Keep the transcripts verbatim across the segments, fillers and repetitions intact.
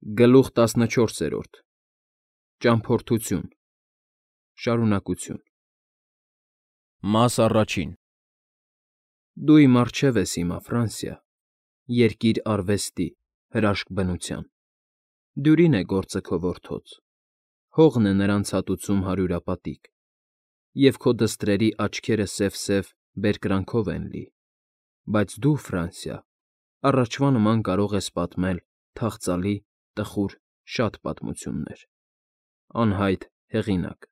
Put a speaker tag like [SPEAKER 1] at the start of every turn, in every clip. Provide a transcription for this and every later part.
[SPEAKER 1] Գլուխ տասնչորսերորդ Ճամփորդություն Շարունակություն Մաս առաջին Դու իմ առջև ես հիմա, Ֆրանսիա, երկիր արվեստի, հրաշք բնության, դյուրին է գործը քո որդոց, հողն է նրան ցատուցում հարյուրապատիկ, և քո դստրերի աչքերը սև֊սև բերկրանքով են լի, բայց դու, Ֆրանսիա, առաջվա նման կարող ես պատմել թախծալի, տխուր շատ պատմություններ, անհայտ հեղինակ։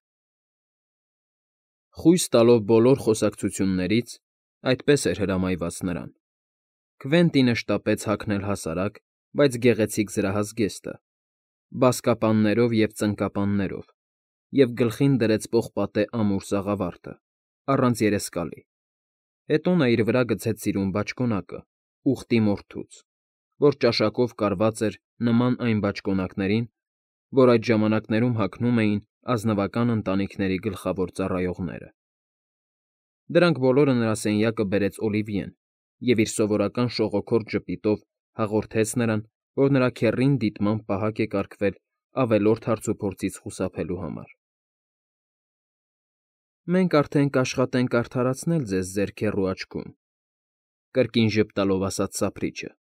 [SPEAKER 1] Խույս տալով բոլոր խոսակցություններից, այդպես էր հրամայված նրան, Քվենտինը շտապեց հագնել հասարակ, բայց գեղեցիկ զրահազգեստը, բազկապաններով և ծնկապաններով, և գլխին դրեց պողպատե ամուր սաղավարտը, առանց երեսկալի, հետո նա իր վրա գցեց սիրուն բաճկոնակը, ուղտի մորթուց, որ ճաշակով կարված էր նման այն բաճկոնակներին, որ այդ ժամանակներում հագնում էին ազնվական ընտանիքների գլխավոր ծառայողները։ Դրանք բոլորը նրա սենյակը բերեց Օլիվիեն և իր սովորական շողոքորթ ժպիտով հաղորդեց նրան, որ նրա քեռին դիտմամբ պահակ է կարգվել ավելորդ հարցուփորձից խուսափելու համար։ ֊ Մենք արդեն կաշխատենք արդարացնել ձեզ ձեր քեռու աչքում,֊ կրկին ժպտալով ասաց սափրիչը,֊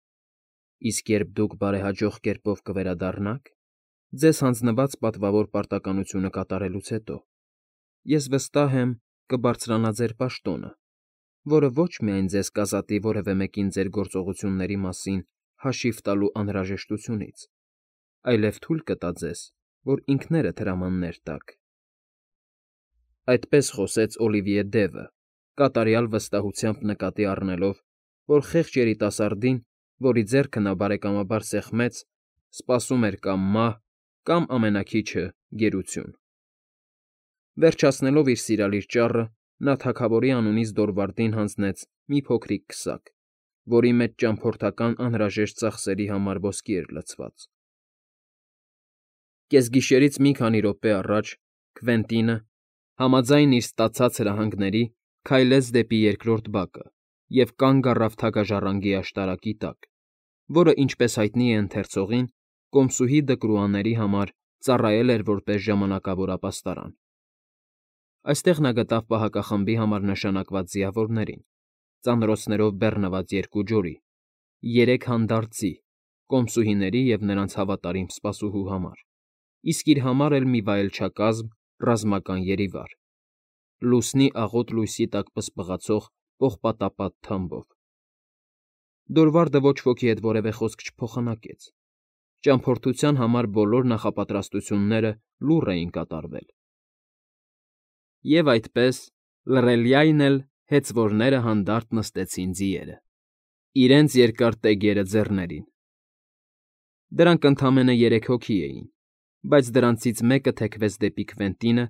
[SPEAKER 1] իսկ երբ դուք բարեհաջող կերպով կվերադառնաք, ձեզ հանձնված պատվավոր պարտականությունը կատարելուց հետո, ես վստահ եմ, կբարձրանա ձեր պաշտոնը, որը ոչ միայն ձեզ կազատի որևէ մեկին ձեր գործողությունների մասին հաշիվ տալու անհրաժեշտությունից, այլև թույլ կտա ձեզ, որ ինքներդ հրամաններ տաք… Այդպես խոսեց Օլիվիե Դևը, կատարյալ վստահությամբ նկատի առնելով, որ խեղճ երիտասարդին, որի ձեռքը նա բարեկամաբար սեղմեց, սպասում էր կամ մահ, կամ ամենաքիչը՝ գերություն։ Վերջացնելով իր սիրալիր ճառը, նա թագավորի անունից Դորվարդին հանձնեց մի փոքրիկ քսակ, որի մեջ ճամփորդական անհրաժեշտ ծախսերի համար ոսկի էր լցված։ Կեսգիշերից մի քանի րոպե առաջ Քվենտինը, համաձայն իր ստացած հրահանգների, քայլեց դեպի երկրորդ բակը և կանգ առավ թագաժառանգի աշտարակի տակ, որը, ինչպես հայտնի է ընթերցողին, կոմսուհի Դկրուաների համար ծառայել էր որպես ժամանակավոր ապաստարան։ Այստեղ նա գտավ պահակախմբի համար նշանակված ձիավորներին, ծանրոցներով բեռնված երկու ջորի, երեք հանդարտ ձի՝ կոմսուհիների և նրանց հավատարիմ սպասուհու համար, իսկ իր համար էլ մի վայելչակազմ, ռազմական երիվար՝ լուսնի աղոտ լույսի տակ պսպղացող պողպատապատ թամբով։ Դորվարդը ոչ ոքի հետ որևէ խոսք չփոխանակեց, ճամփորդության համար բոլոր նախապատրաստությունները լուռ էին կատարվել։ Եվ այդպես, լռելյայն էլ հեծվորները հանդարտ նստեցին ձիերը, իրենց երկար տեգերը ձեռներին։ Դրանք ընդամենը երեք հոգի էին, բայց դրանցից մեկը թեքվեց դեպի Քվենտինը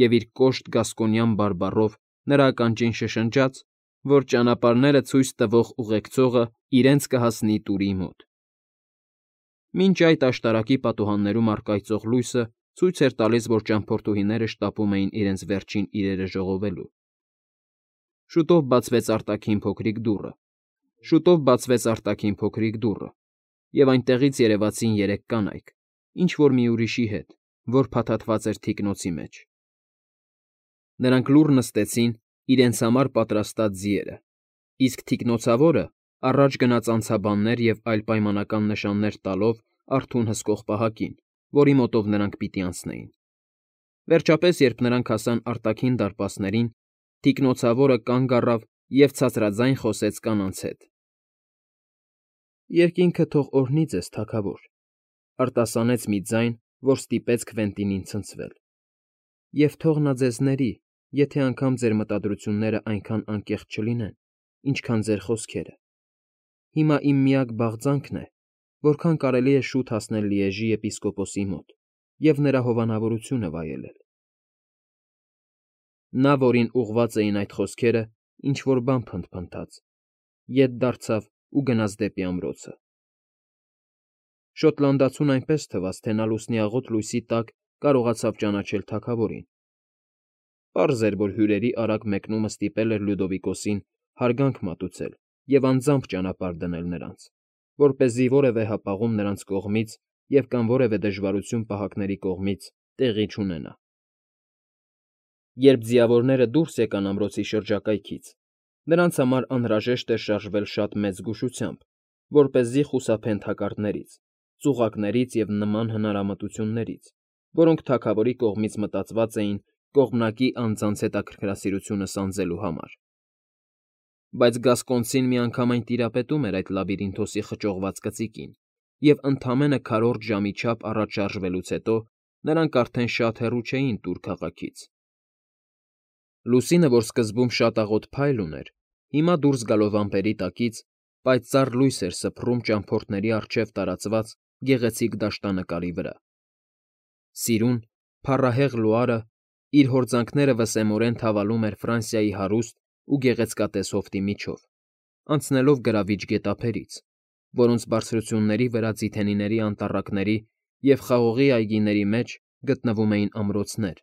[SPEAKER 1] և իր կոշտ գասկոնյան բարբառով նրա ականջին շշնջաց, որ ճանապարհները ցույց տվող ուղեկցողը իրենց կհասնի Տուրի մոտ։ Մինչ այդ աշտարակի պատուհաններում առկայծող լույսը ցույց էր տալիս, որ ճամփորդուհիները շտապում էին իրենց վերջին իրերը ժողովելու։ Շուտով բացվեց արտաքին փոքրիկ դուռը, շուտով բացվեց արտաքին փոքրիկ դուռը, և այնտեղից երևացին երեք կանայք, ինչ֊որ մի ուրիշի հետ, որ փաթաթված էր թիկնոցի մեջ։ Նրանք լուռ նստեցին իրենց համար պատրաստած ձիերը, իսկ թիկնոցավորը առաջ գնաց անցաբաններ և այլ պայմանական նշաններ տալով արթուն հսկող պահակին, որի մոտով նրանք պիտի անցնեին։ Վերջապես, երբ նրանք հասան արտաքին դարպասներին, թիկնոցավորը կանգ առավ և ցածրաձայն խոսեց կանանց հետ. ֊ Երկինքը թող օրհնի ձեզ, թագավոր,֊ արտասանեց մի ձայն, որ ստիպեց Քվենտինին ցնցվել,֊ և թող նա ձեզ ների, եթե անգամ ձեր մտադրություններն այնքան անկեղծ չլինեն, ինչքան ձեր խոսքերը։ Հիմա իմ միակ բաղձանքն է, որքան կարելի է շուտ հասնել Լիեժի եպիսկոպոսի մոտ և նրա հովանավորությունը վայելել… Նա, որին ուղղված էին այդ խոսքերը, ինչ֊որ բան փնթփնթաց, ետ դարձավ ու գնաց դեպի ամրոցը։ Շոտլանդացուն այնպես թվաց, թե նա լուսնի աղոտ լույսի տակ կարողացավ ճանաչել թագավորին։ Պարզ էր, որ հյուրերի արագ մեկնումը ստիպել էր Լյուդովիկոսին հարգանք մատուցել և անձամբ ճանապարհ դնել նրանց, որպեսզի որևէ հապաղում նրանց կողմից և կամ որևէ դժվարություն պահակների կողմից տեղի չունենա։ Երբ ձիավորները դուրս եկան ամրոցի շրջակայքից, նրանց համար անհրաժեշտ էր շարժվել շատ մեծ զգուշությամբ, որպեսզի խուսափեն թակարդներից, ծուղակներից և նման հնարամտություններից, որոնք թագավորի կողմից մտածված էին կողմնակի անձանց հետաքրքրասիրությունը սանձելու համար։ Բայց Գասկոնցին միանգամայն տիրապետում էր այդ լաբիրինթոսի խճողված կծիկին, և ընդամենը քառորդ ժամի չափ առաջ շարժվելուց հետո նրանք արդեն շատ հեռու չէին Տուր քաղաքից։ Լուսինը, որ սկզբում շատ աղոտ փայլ ուներ, հիմա դուրս գալով ամպերի տակից, պայծառ լույս էր սփռում ճամփորդների առջև տարածված գեղեցիկ դաշտանկարի վրա։ Սիրուն, փառահեղ լուարը իր հորձանքները վսեմորեն թավալում էր Ֆրանսիայի հարուստ ու գեղեցկատես հովտի միջով, անցնելով գրավիչ գետափերից, որոնց բարձրությունների վրա ձիթենիների անտառակների և խաղողի այգիների մեջ գտնվում էին ամրոցներ,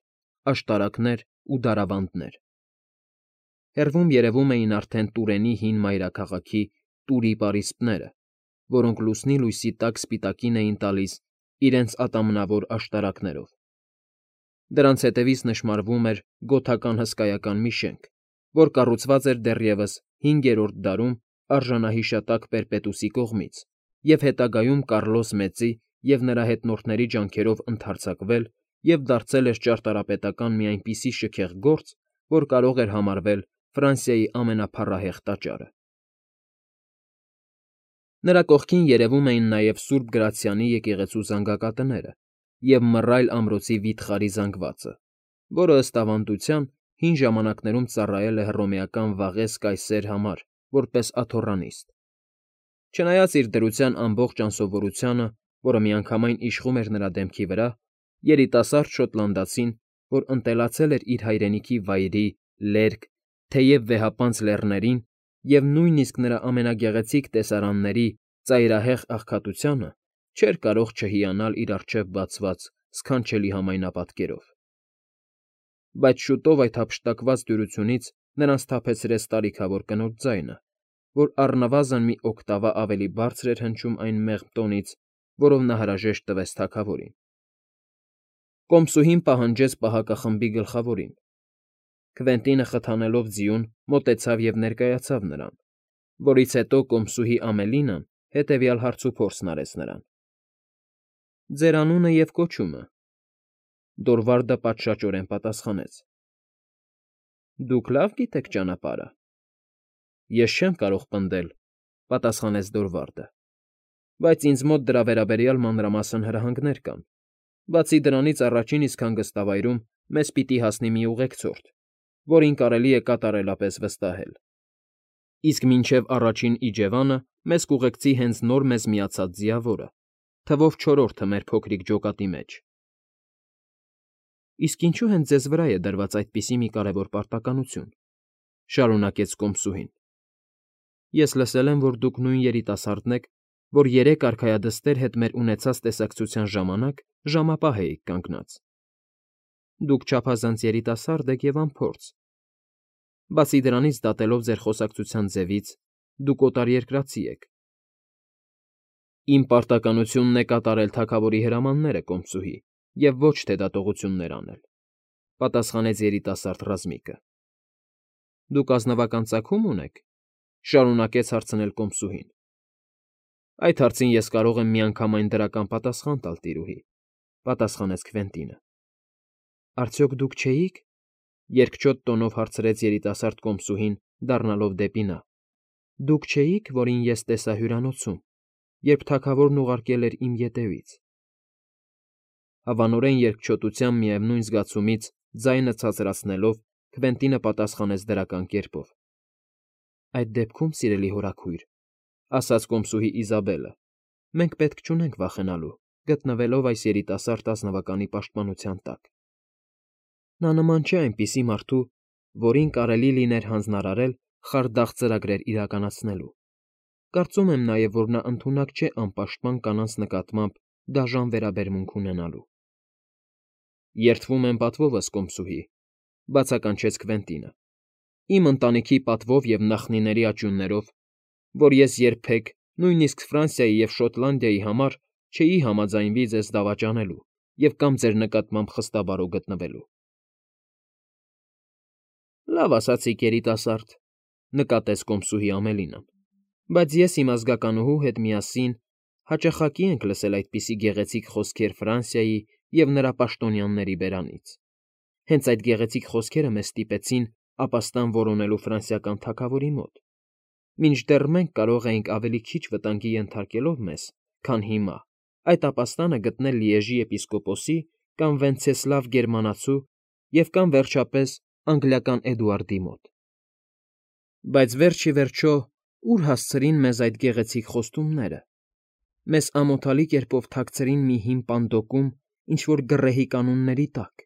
[SPEAKER 1] աշտարակներ ու դարավանդներ։ Հեռվում երևում էին արդեն Տուրենի հին մայրաքաղաքի Տուրի պարիսպները, որոնք լուսնի լույսի տակ սպիտակին էին տալիս իրենց ատամնավոր աշտարակներով։ Դրանց ետևից նշմարվում էր գոթական հսկայական մի շենք, որ կառուցված էր դեռևս հինգերորդ դարում արժանահիշատակ Պերպետուսի կողմից և հետագայում Կարլոս Մեծի և նրա հետնորդների ջանքերով ընդարձակվել և դարձել էր ճարտարապետական մի այնպիսի շքեղ գործ, որ կարող էր համարվել Ֆրանսիայի ամենափառահեղ տաճարը։ Նրա կողքին երևում էին նաև Սուրբ Գրացիանի եկեղեցու զանգակատները և մռայլ ամրոցի վիթխարի զանգվածը, որը, ըստ ավանդության, հին ժամանակներում ծառայել է հռոմեական վաղես Կայսեր համար որպես աթոռանիստ։ Չնայած իր դրության ամբողջ անսովորությանը, որը միանգամայն իշխում էր նրա դեմքի վրա, երիտասարդ շոտլանդացին, որ ընտելացել էր իր հայրենիքի վայրի, լերկ, թեև վեհապանծ լեռներին և նույնիսկ նրա ամենագեղեցիկ տեսարանների ծայրահեղ աղքատությանը, չէր կարող չհիանալ իր առջև բացված սքանչելի համայնապատկերով։ Բայց շուտով այդ հափշտակված դյուրությունից նրան սթափեցրեց տարիքավոր կնոջ ձայնը, որ առնվազն մի օկտավա ավելի բարձր էր հնչում այն մեղմ տոնից, որով նա հրաժեշտ տվեց թագավորին։ Կոմսուհին պահանջեց պահակախմբի գլխավորին։ Քվենտինը խթանելով ձիուն մոտեցավ և ներկայացավ նրան, որից հետո կոմսուհի Ամելինան հետևյալ հարցուփորձն արեց նրան. ֊ Ձեր անունը և կոչումը։ Դորվարդը պատշաճորեն պատասխանեց. ֊ Դուք լավ գիտեք ճանապարհը։ ֊ Ես չեմ կարող պնդել,֊ պատասխանեց Դորվարդը,֊ բայց ինձ մոտ դրա վերաբերյալ մանրամասն հրահանգներ կան, բացի դրանից առաջին իսկ հանգստավայրում մեզ պիտի հասնի մի ուղեկցորդ, որին կարելի է կատարելապես վստահել, իսկ մինչև առաջին իջևանը մեզ կուղեկցի հենց նոր մեզ միացած ձիավորը, թվով չորրորդը մեր փոքրիկ ջոկատի մեջ։ ֊ Իսկ ինչո՞ւ հենց ձեզ վրա է դրված այդպիսի մի կարևոր պարտականություն,֊ շարունակեց կոմսուհին։֊ Ես լսել եմ, որ դուք նույն երիտասարդն եք, որ երեք արքայադստեր հետ մեր ունեցած տեսակցության ժամանակ ժամապահ էիք կանգնած։ Դուք չափազանց երիտասարդ եք և անփորձ։ Բացի դրանից, դատելով ձեր խոսակցության ձևից, դուք օտարերկրացի եք։ ֊ Իմ պարտականությունն է կատարել թագավորի հրամանները, կոմսուհի, և ոչ թե դատողություններ անել,֊ պատասխանեց երիտասարդ ռազմիկը։ ֊ Դուք ազնվական ծագում ունե՞ք,֊ շարունակեց հարցնել կոմսուհին։ ֊ Այդ հարցին ես կարող եմ միանգամայն դրական պատասխան տալ, տիրուհի,֊ պատասխանեց Քվենտինը։ ֊ Արդյոք դուք չէի՞ք,֊ երկչոտ տոնով հարցրեց երիտասարդ կոմսուհին, դառնալով դեպի նա,֊ դուք չէի՞ք, որին ես տեսա հյուրանոցում, երբ թագավորն ուղարկել էր իմ ետևից… Հավանորեն երկչոտության միևնույն զգացումից ձայնը ցածրացնելով՝ Քվենտինը պատասխանեց դրական կերպով. ֊ Այդ դեպքում, սիրելի հորաքույր,֊ ասաց կոմսուհի Իզաբելը,֊ մենք պետք չունենք վախենալու՝ գտնվելով այս երիտասարդ ազնվականի պաշտպանության տակ… Նա նման չէ այնպիսի մարդու, որին կարելի լիներ հանձնարարել խարդախ ծրագրեր իրականացնելու… Կարծում եմ նաև, որ նա ընդունակ չէ անպաշտպան կանանց նկատմամբ դաժան վերաբերմունք ունենալու… ֊ Երդվում եմ պատվովս, կոմսուհի,֊ բացականչեց Քվենտինը,֊ իմ ընտանիքի պատվով և նախնիների աճյուններով, որ ես երբեք, նույնիսկ Ֆրանսիայի և Շոտլանդիայի համար չէի համաձայնվի ձեզ դավաճանելու և կամ ձեր նկատմամբ խստաբարո գտնվելու։ ֊ Լավ ասացիք, երիտասարդ,֊ նկատեց կոմսուհի Ամելինան,֊ բայց ես իմ ազգականուհու հետ միասին հաճախակի ենք լսել այդպիսի գեղեցիկ խոսքեր Ֆրանսիայի և նրա պաշտոնյաների բերանից։ Հենց այդ գեղեցիկ խոսքերը մեզ ստիպեցին ապաստան որոնելու ֆրանսիական թագավորի մոտ, մինչդեռ մենք կարող էինք ավելի քիչ վտանգի ենթարկելով մեզ, քան հիմա, այդ ապաստանը գտնել Լիեժի եպիսկոպոսի կամ Վենցեսլավ Գերմանացու և կամ, վերջապես, անգլիական Էդուարդի մոտ։ Բայց վերջ ի վերջո ուր հասցրին մեզ այդ գեղեցիկ խոստումները։ Մեզ ամոթալի կերպով թաքցրին մի հին պանդոկում ինչ֊որ գռեհի կանոնների տակ,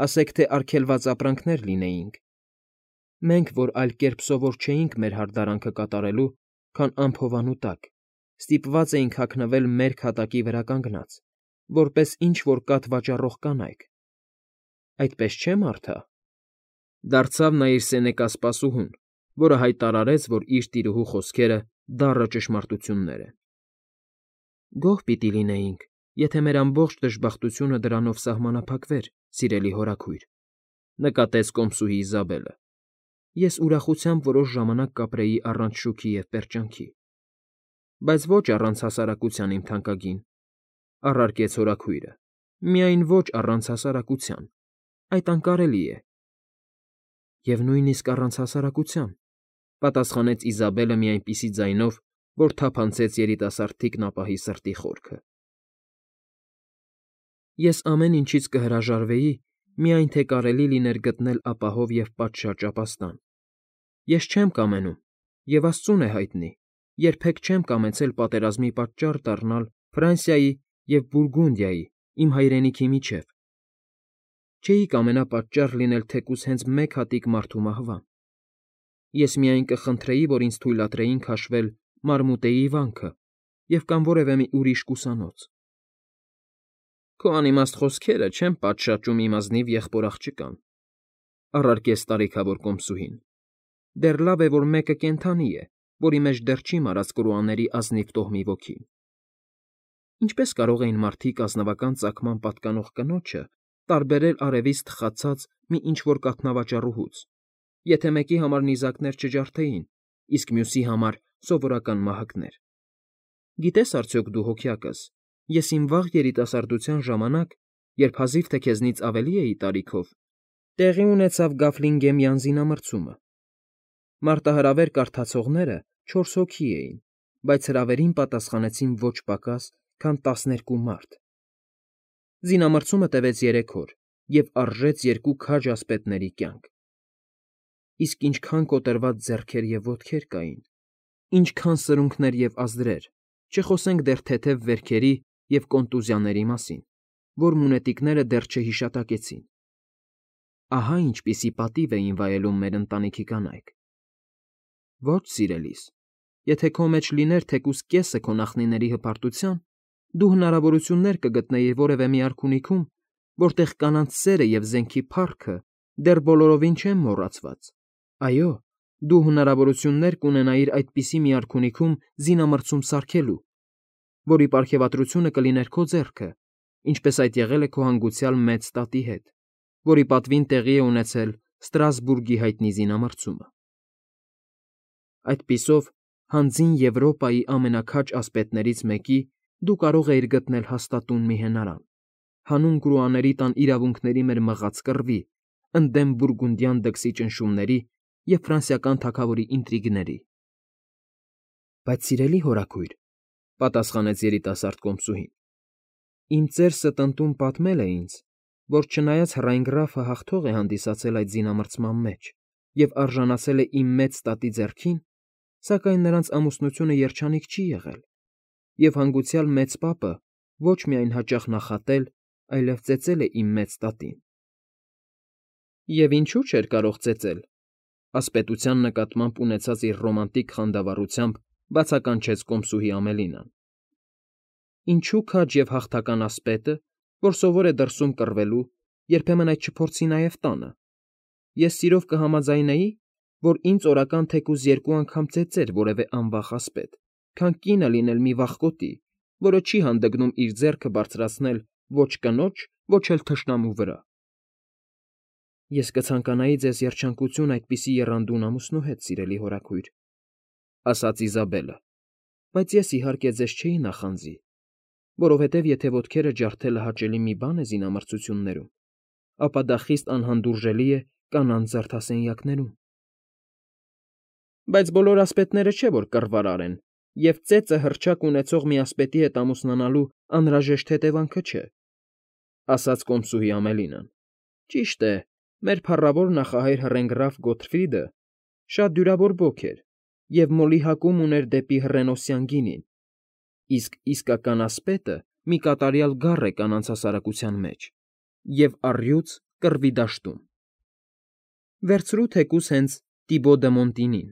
[SPEAKER 1] ասեք թե արգելված ապրանքներ լինեինք։ Մենք, որ այլ կերպ սովոր չէինք մեր հարդարանքը կատարելու, քան անփովանու տակ, ստիպված էինք հագնվել մերկ հատակի վրա կանգնած, որպես ինչ֊որ կաթ վաճառող կանայք։ Այդպես չէ՞, Մարթա,֊ դարձավ նա իր սենեկասպասուհուն, որը հայտարարեց, որ իր տիրուհու խոսքերը դառը ճշմարտություններ են։ ֊ Գոհ պիտի լինեինք, եթե մեր ամբողջ դժբախտությունը դրանով սահմանափակվեր, սիրելի հորաքույր,֊ նկատեց կոմսուհի Իզաբելը։ Ես ուրախությամբ որոշ ժամանակ կապրեի առանց շուքի և պերճանքի։ ֊ Բայց ոչ առանց հասարակության, իմ թանկագին,֊ առարկեց հորաքույրը,֊ միայն ոչ առանց հասարակության, այդ անկարելի է։ ֊ Եվ նույնիսկ առանց հասարակության,֊ պատասխանեց Իզաբելը մի այնպիսի ձայնով, որ թափանցեց երիտասարդ թիկնապահի սրտի խորքը։ ֊ Ես ամեն ինչից կհրաժարվեի, միայն թե կարելի լիներ գտնել ապահով և պատշաճ ապաստան։ Ես չեմ կամենում, և աստծուն է հայտնի, երբեք չեմ կամեցել պատերազմի պատճառ դառնալ Ֆրանսիայի և Բուրգունդիայի, իմ հայրենիքի միջև։ Չէի կամենա պատճառ լինել թեկուզ հենց մեկ հատիկ մարդու մահվան։ Ես միայն կխնդրեի, որ ինձ թույլատրեին քաշվել Մարմուտեի վանքը և կամ որևէ մի ուրիշ կուսանոց։ ֊ Քո անիմաստ խոսքերը չեն պատշաճում իմ ազնիվ եղբոր֊աղջկան,֊ առարկեց տարիքավոր կոմսուհին,֊ դեռ լավ է, որ մեկը կենդանի է, որի մեջ դեռ չի մարած կրուաների ազնիվ տոհմի ոգին։ Ինչպե՞ս կարող էին մարդիկ ազնվական ծագման պատկանող կնոջը տարբերել արևից թխացած մի ինչ֊որ կաթնավաճառուհուց, եթե մեկի համար նիզակներ չջարդեին, իսկ մյուսի համար սովորական մահակներ։ Գիտե՞ս արդյոք դու, հոգյակս, ես իմ վաղ երիտասարդության ժամանակ, երբ հազիվ թե քեզնից ավելի էի տարիքով, տեղի ունեցավ Գաֆլինգեմյան զինամրցումը։ Մարտահրավեր կարդացողները չորս հոգի էին, բայց հրավերին պատասխանեցին ոչ պակաս, քան տասներկու մարդ։ Զինամրցումը տևեց երեք օր և արժեց երկու քաջ ասպետների կյանք։ Իսկ ինչքան կոտրված ձեռքեր և ոտքեր կային, ինչքան սրունքներ և ազդրեր, չխոսենք դեռ թեթև վերքերի և կոնտուզիաների մասին, որ մունետիկները դեռ չհիշատակեցին։ Ահա ինչպիսի պատիվ էին վայելում մեր ընտանիքի կանայք։ Ոչ, սիրելիս, եթե քո մեջ լիներ թեկուզ կեսը քո նախնիների հպարտության, դու հնարավորություններ կգտնեիր որևէ մի արքունիքում, որտեղ կանանց սերը և զենքի փառքը դեռ բոլորովին չեն մոռացված, այո, դու հնարավորություններ կունենայիր այդպիսի մի արքունիքում զինամրցում սարքելու, որի պարգևատրությունը կլիներ քո ձեռքը, ինչպես այդ եղել է քո հանգուցյալ մեծ տատի հետ, որի պատվին տեղի է ունեցել Ստրասբուրգի հայտնի զինամրցումը։ Այդպիսով, հանձին Եվրոպայի ամենաքաջ ասպետներից մեկի դու կարող էիր գտնել հաստատուն մի հենարան, հանուն կրուաների տան իրավունքների մեր մղած կռվի, ընդդեմ բուրգունդյան դքսի ճնշումների և ֆրանսիական թագավորի ինտրիգների։ ֊ Բայց, սիրելի հորաքույր,֊ պատասխանեց երիտասարդ կոմսուհին,֊ իմ ծեր ստընտուն պատմել է ինձ, որ չնայած Հռայնգրաֆը հաղթող է հանդիսացել այդ զինամրցման մեջ և արժանացել է իմ մեծ տատի ձեռքին, սակայն նրանց ամուսնությունը երջանիկ չի եղել, և հանգուցյալ մեծ պապը ոչ միայն հաճախ նախատել, այլև ծեծել է իմ մեծ տատին։ ֊ Եվ ինչու՞ չէր կարող ծեծել,֊ ասպետության նկատմամբ ունեցած իր ռոմանտիկ խանդավառությամբ բացականչեց կոմսուհի Ամելինան։ ֊ Ինչու քաջ և հաղթական ասպետը, որ սովոր է դրսում կռվելու, երբեմն այդ չփորձի նաև տանը։ Ես սիրով կհամաձայնեի, որ ինձ օրական թեկուզ երկու անգամ ծեծեր որևէ անվախ ասպետ, քան կինը լինել մի վախկոտի, որը չի հանդգնում իր ձեռքը բարձրացնել ոչ կնոջ, ոչ էլ թշնամու վրա։ ֊ Ես կցանկանայի ձեզ երջանկություն այդպիսի եռանդուն ամուսնու հետ, սիրելի հորաքույր, ֊ ասաց Իզաբելը, ֊ բայց ես, իհարկե, ձեզ չէի նախանձի, որովհետև եթե ոտքերը ջարդելը հաճելի մի բան է զինամրցություններում, ապա դա խիստ անհանդուրժելի է կանանց զարդասենյակներում։ ֊ Բայց բոլոր ասպետները չէ, որ կռվարար են, և ծեծը հռչակ ունեցող մի ասպետի հետ ամուսնանալու անհրաժեշտ հետևանքը չէ, ֊ ասաց կոմսուհի Ամելինան։ ֊ Ճիշտ է, մեր փառավոր նախահայր հռենգռավ Գոթֆրիդը շատ դյուրավոր բոք էր և մոլի հակում ուներ դեպի հռենոսյան գինին, իսկ իսկական ասպետը մի կատարյալ գառ է կանանց հասարակության մեջ և առյուծ կռվի դաշտում։ Վերցրու թեկուզ հենց Տիբո դը Մոնտինին,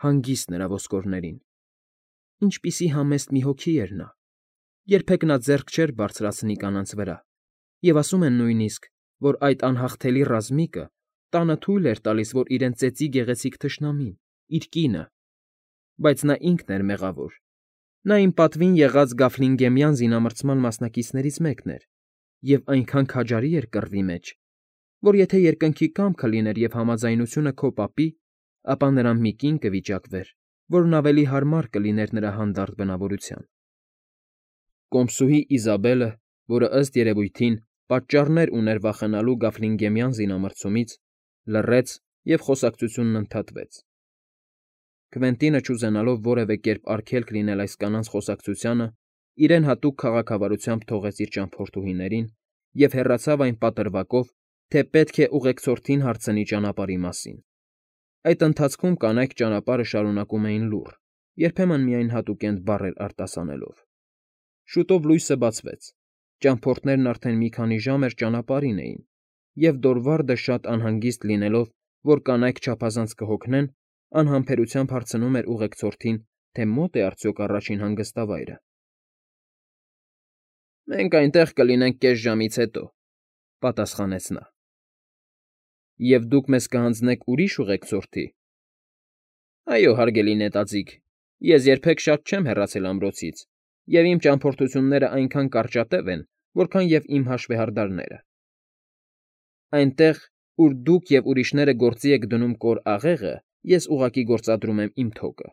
[SPEAKER 1] հանգիստ նրա ոսկորներին. ինչպիսի համեստ մի հոգի էր նա, երբեք նա ձեռք չէր բարձրացնի կանանց վրա, և ասում են նույնիսկ, որ այդ անհաղթելի ռազմիկը տանը թույլ էր տալիս, որ իրեն ծեծի գեղեցիկ թշնամին՝ իր կինը, բայց նա ինքն էր մեղավոր։ Նա իմ պատվին եղած Գաֆլինգեմյան զինամրցման մասնակիցներից մեկն էր և այնքան քաջարի էր կռվի մեջ, որ եթե երկնքի կամքը լիներ և համաձայնությունը քո պապի, ապա նրան մի կին կվիճակվեր, որն ավելի հարմար կլիներ նրա հանդարտ բնավորության։ Կոմսուհի Իզաբելը, որը, ըստ երևույթին, պատճառներ ուներ վախենալու Գաֆլինգեմյան զինամրցումից, լռեց և խոսակցությունն ընդհատվեց։ Քվենտինը, չուզենալով որևէ կերպ արգելք լինել այս կանանց խոսակցությանը, իրեն հատուկ քաղաքավարությամբ թողեց իր ճամփորդուհիներին և հեռացավ այն պատրվակով, թե պետք է ուղեկցորդին հարցնի ճանապարհի մասին։ Այդ ընթացքում կանայք ճանապարհը շարունակում էին լուռ, երբեմն միայն հատուկենտ բառեր արտասանելով։ Շուտով լույսը բացվեց, ճամփորդներն արդեն մի քանի ժամ էր ճանապարհին էին, և Դորվարդը, շատ անհանգիստ լինելով, որ կանայք չափազանց կհոգնեն, անհամբերությամբ հարցնում էր ուղեկցորդին, թե մո՞տ է արդյոք առաջին հանգստավայրը։ ֊ Մենք այնտեղ կլինենք կես ժամից հետո, ֊ պատասխանեց նա։ ֊ Եվ դուք մեզ կհանձնեք ուրիշ ուղեկցորդի։ ֊ Այո, հարգելի նետաձիգ, ես երբեք շատ չեմ հեռացել ամրոցից, և իմ ճամփորդություններն այնքան կարճատև են, որքան և իմ հաշվեհարդարները։ Այնտեղ, ուր դուք և ուրիշները գործի եք դնում կոր աղեղը, ես ուղղակի գործադրում եմ իմ թոկը։